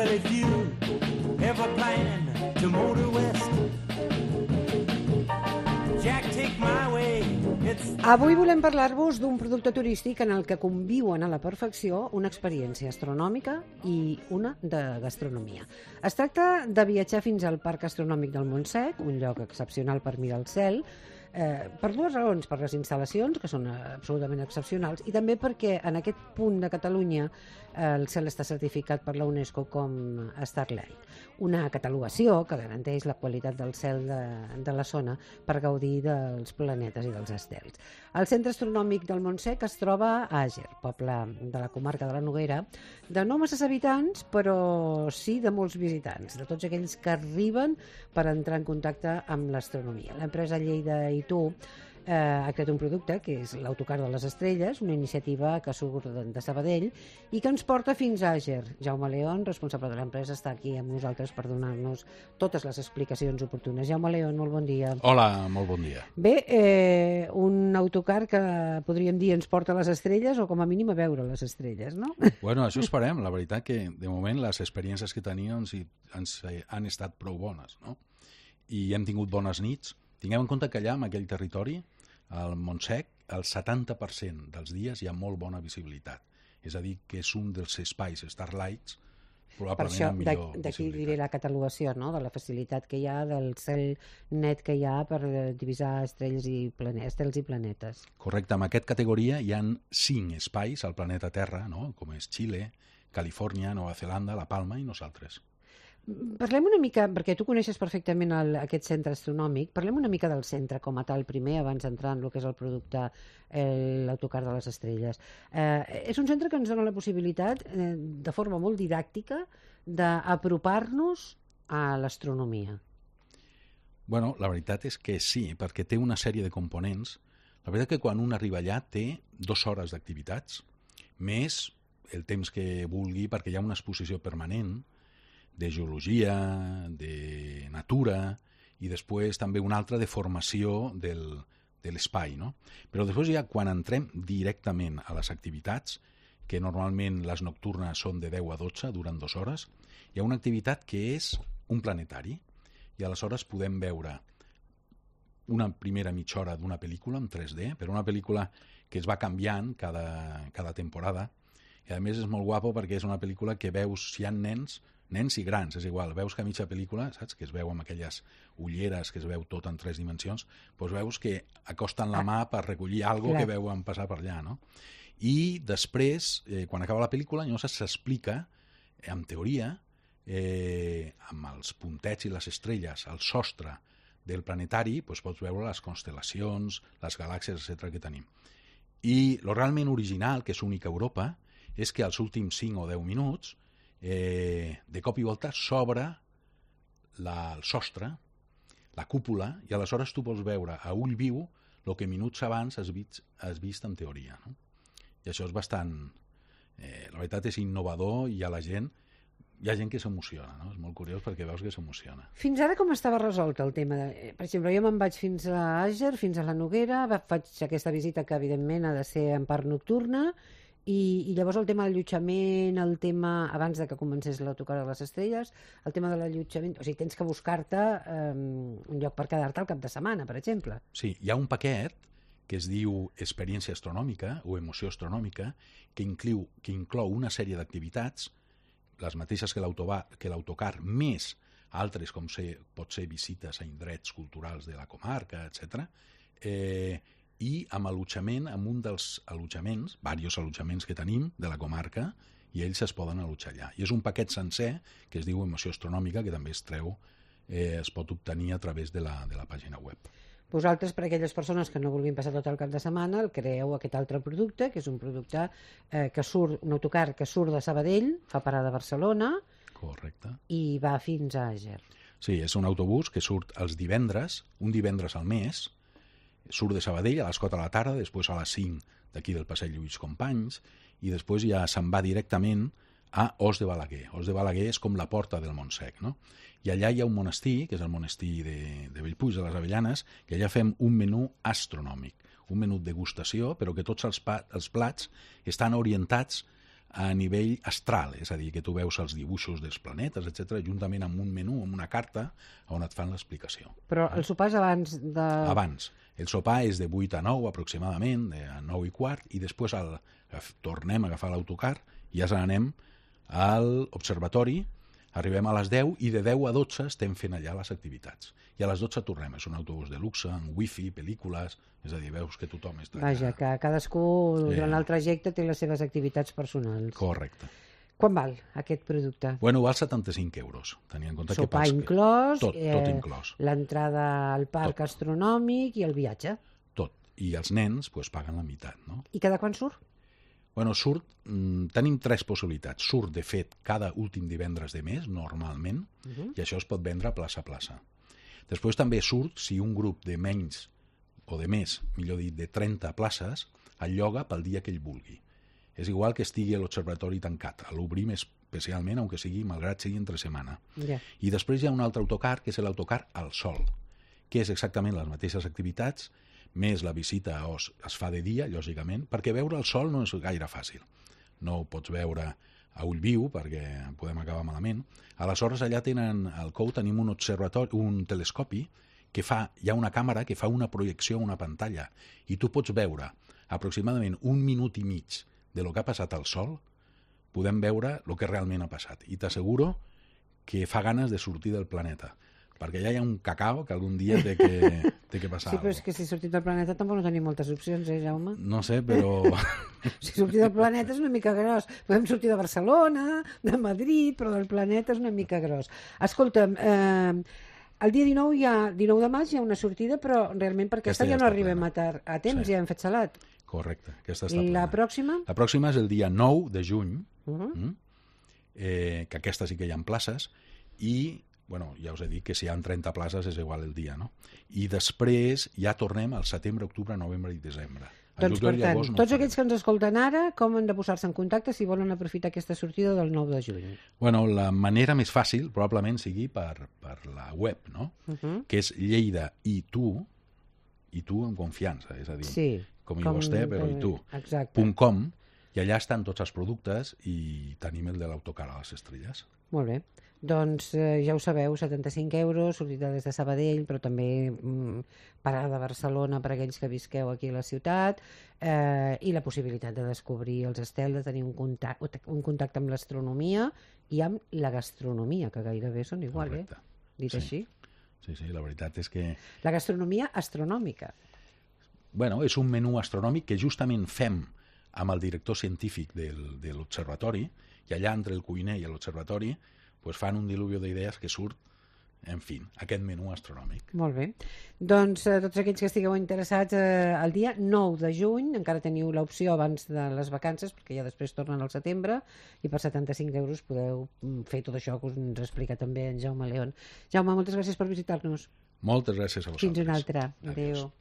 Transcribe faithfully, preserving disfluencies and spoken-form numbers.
Well, if you ever plan to motor west, Jack, take my way. It's... Avui volem parlar-vos d'un producte turístic en el que conviuen a la perfecció una experiència astronòmica i una de gastronomia. Es tracta de viatjar fins al Parc Astronòmic del Montsec, un lloc excepcional per mirar el cel, eh, per dues raons, per les instal·lacions, que són absolutament excepcionals, i també perquè en aquest punt de Catalunya eh, el cel està certificat per la UNESCO com Starlight, una catalogació que garanteix la qualitat del cel de, de la zona per gaudir dels planetes i dels estels. El Centre Astronòmic del Montsec es troba a Àger, poble de la comarca de la Noguera, de no masses habitants, però sí de molts visitants, de tots aquells que arriben per entrar en contacte amb l'astronomia. L'empresa Lleida i tu eh, ha creat un producte que és l'Autocar de les Estrelles, una iniciativa que surt de, de Sabadell i que ens porta fins a Àger. Jaume León, responsable de l'empresa, està aquí amb nosaltres per donar-nos totes les explicacions oportunes. Jaume León, molt bon dia. Hola, molt bon dia. Bé, eh, un autocar que podríem dir ens porta a les estrelles o com a mínim a veure les estrelles, no? Bueno, això esperem. La veritat que de moment les experiències que teníem ens, ens han estat prou bones, no? I hem tingut bones nits. Tinguem en compte que allà, en aquell territori, al Montsec, el setanta per cent dels dies hi ha molt bona visibilitat. És a dir, que és un dels espais Starlights probablement per això, amb millor d'aquí visibilitat. diré la catalogació, no?, de la facilitat que hi ha, del cel net que hi ha per divisar estrelles i planetes, estels i planetes. Correcte, en aquesta categoria hi ha cinc espais al planeta Terra, no?, com és Xile, Califòrnia, Nova Zelanda, La Palma i nosaltres. Parlem una mica, perquè tu coneixes perfectament el, aquest centre astronòmic, parlem una mica del centre com a tal primer, abans d'entrar en el que és el producte, l'Autocar de les Estrelles. Eh, és un centre que ens dona la possibilitat, eh, de forma molt didàctica, d'apropar-nos a l'astronomia. Bueno, la veritat és que sí, perquè té una sèrie de components. La veritat que quan un arriba allà té dues hores d'activitats, més el temps que vulgui, perquè hi ha una exposició permanent de geologia, de natura, i després també una altra de formació del, de l'espai, no? Però després ja quan entrem directament a les activitats, que normalment les nocturnes són de deu a dotze, duren dues hores, hi ha una activitat que és un planetari, i aleshores podem veure una primera mitja hora d'una pel·lícula en tres D, però una pel·lícula que es va canviant cada, cada temporada, i a més és molt guapo perquè és una pel·lícula que veus, si hi ha nens, nens i grans, és igual, veus que a mitja pel·lícula, saps, que es veu amb aquelles ulleres, que es veu tot en tres dimensions, doncs veus que acosten la mà per recollir alguna cosa que veuen passar per allà, no? I després, eh, quan acaba la pel·lícula, llavors s'explica, eh, en teoria, eh, amb els puntets i les estrelles, al sostre del planetari, doncs pots veure les constel·lacions, les galàxies, etcètera que tenim. I el realment original, que és únic a Europa, és que als últims cinc o deu minuts Eh, de cop i volta s'obre la, el sostre, la cúpula, i aleshores tu pots veure a ull viu el que minuts abans has vist, has vist en teoria, no? I això és bastant... Eh, la veritat és innovador i a la gent hi ha gent que s'emociona, no? És molt curiós perquè veus que s'emociona. Fins ara com estava resolt el tema? De... Per exemple, jo me'n vaig fins a Àger, fins a la Noguera, faig aquesta visita que evidentment ha de ser en part nocturna, I, i llavors el tema de l'allotjament, el tema, abans de que comencés l'Autocar de les Estrelles, el tema de l'allotjament, o sigui, tens que buscar-te eh, un lloc per quedar-te al cap de setmana, per exemple. Sí, hi ha un paquet que es diu Experiència Astronòmica o Emoció Astronòmica, que inclou, que inclou una sèrie d'activitats, les mateixes que l'Autocar, més altres com ser, pot ser visites a indrets culturals de la comarca, etcètera, eh, i amb allotjament, amb un dels allotjaments, diversos allotjaments que tenim de la comarca, i ells es poden allotjar allà. I és un paquet sencer que es diu Emoció Astronòmica, que també es treu, eh, es pot obtenir a través de la, de la pàgina web. Vosaltres, per a aquelles persones que no vulguin passar tot el cap de setmana, el creeu aquest altre producte, que és un producte eh, que surt, un autocar que surt de Sabadell, fa parada a Barcelona, correcte, i va fins a Àger. Sí, és un autobús que surt els divendres, un divendres al mes, surt de Sabadell a les quatre de la tarda, després a les cinc d'aquí del passeig Lluís Companys, i després ja se'n va directament a Os de Balaguer. Os de Balaguer és com la porta del Montsec, no? I allà hi ha un monestir, que és el monestir de, de Bellpuig de les Avellanes, que allà fem un menú astronòmic, un menú degustació, però que tots els, pa, els plats estan orientats a nivell astral, és a dir, que tu veus els dibuixos dels planetes, etcètera, juntament amb un menú, amb una carta, on et fan l'explicació. Però el sopar és abans de... Abans. El sopar és de vuit a nou aproximadament, de nou i quart, i després el, tornem a agafar l'autocar i ja anem a l'observatori, arribem a les deu i de deu a dotze estem fent allà les activitats. I a les dotze tornem. És un autobús de luxe, amb wifi, pel·lícules, és a dir, veus que tothom està... Vaja, que cadascú durant el trajecte té les seves activitats personals. Correcte. Quan val aquest producte? Bueno, val setanta-cinc euros. Tenia en compte que... Sopar inclòs, tot, tot inclòs. L'entrada al parc tot. Astronòmic i el viatge. Tot. I els nens pues, paguen la meitat, no? I cada quan surt? Bueno, surt, mm, tenim tres possibilitats. Surt, de fet, cada últim divendres de mes, normalment, uh -huh. i això es pot vendre plaça a plaça. Després també surt si un grup de menys, o de més, millor dit, de trenta places, el lloga pel dia que ell vulgui. És igual que estigui l'observatori tancat. L'obrim especialment, aunque sigui, malgrat sigui entre setmana. Yeah. I després hi ha un altre autocar, que és l'autocar al sol, que és exactament les mateixes activitats, més la visita es, es fa de dia, lògicament, perquè veure el sol no és gaire fàcil. No ho pots veure a ull viu, perquè podem acabar malament. Aleshores, allà tenen, al C O U tenim un observatori, un telescopi, que fa, hi ha una càmera que fa una projecció a una pantalla, i tu pots veure aproximadament un minut i mig de lo que ha passat al sol, podem veure el que realment ha passat. I t'asseguro que fa ganes de sortir del planeta, perquè allà hi ha un cacao que algun dia té que, té que passar. Sí, però és que si sortit del planeta tampoc no tenim moltes opcions, eh, Jaume? No sé, però... Si sortir del planeta és una mica gros. Podem sortir de Barcelona, de Madrid, però del planeta és una mica gros. Escolta'm, eh, el dia dinou, hi ha, dinou de maig hi ha una sortida, però realment per aquesta, aquesta ja, ja no arribem plena. a, tar a temps, sí. Ja hem fet salat. Correcte, aquesta està plena. La plena. pròxima? La pròxima és el dia nou de juny, uh -huh. mm? eh, que aquesta sí que hi ha places, i bueno, ja us he dit que si hi ha trenta places és igual el dia, no? I després ja tornem al setembre, octubre, novembre i desembre. Doncs, per tant, no tots aquells que ens escolten ara, com han de posar-se en contacte si volen aprofitar aquesta sortida del nou de juny? Bueno, la manera més fàcil probablement sigui per, per la web, no? Uh -huh. Que és Lleida i tu, i tu amb confiança, és a dir, sí, com i vostè, però i tu, exacte. .com, i allà estan tots els productes i tenim el de l'autocar a les estrelles. Molt bé. Doncs eh, ja ho sabeu, setanta-cinc euros, sortida des de Sabadell, però també mm, parada a Barcelona per a aquells que visqueu aquí a la ciutat, eh, i la possibilitat de descobrir els estels, de tenir un contacte, un contacte amb l'astronomia i amb la gastronomia, que gairebé són igual, Correcte. eh? Dit sí. així. Sí, sí, la veritat és que... La gastronomia astronòmica. Bueno, és un menú astronòmic que justament fem amb el director científic del, de l'observatori, i allà entre el cuiner i l'observatori pues fan un diluvio d'idees que surt, en fi, aquest menú astronòmic. Molt bé. Doncs eh, tots aquells que estigueu interessats eh, el dia nou de juny, encara teniu l'opció abans de les vacances, perquè ja després tornen al setembre, i per setanta-cinc euros podeu fer tot això que us ens explica també en Jaume León. Jaume, moltes gràcies per visitar-nos. Moltes gràcies a vosaltres. Fins una altra. Adéu. Adéu.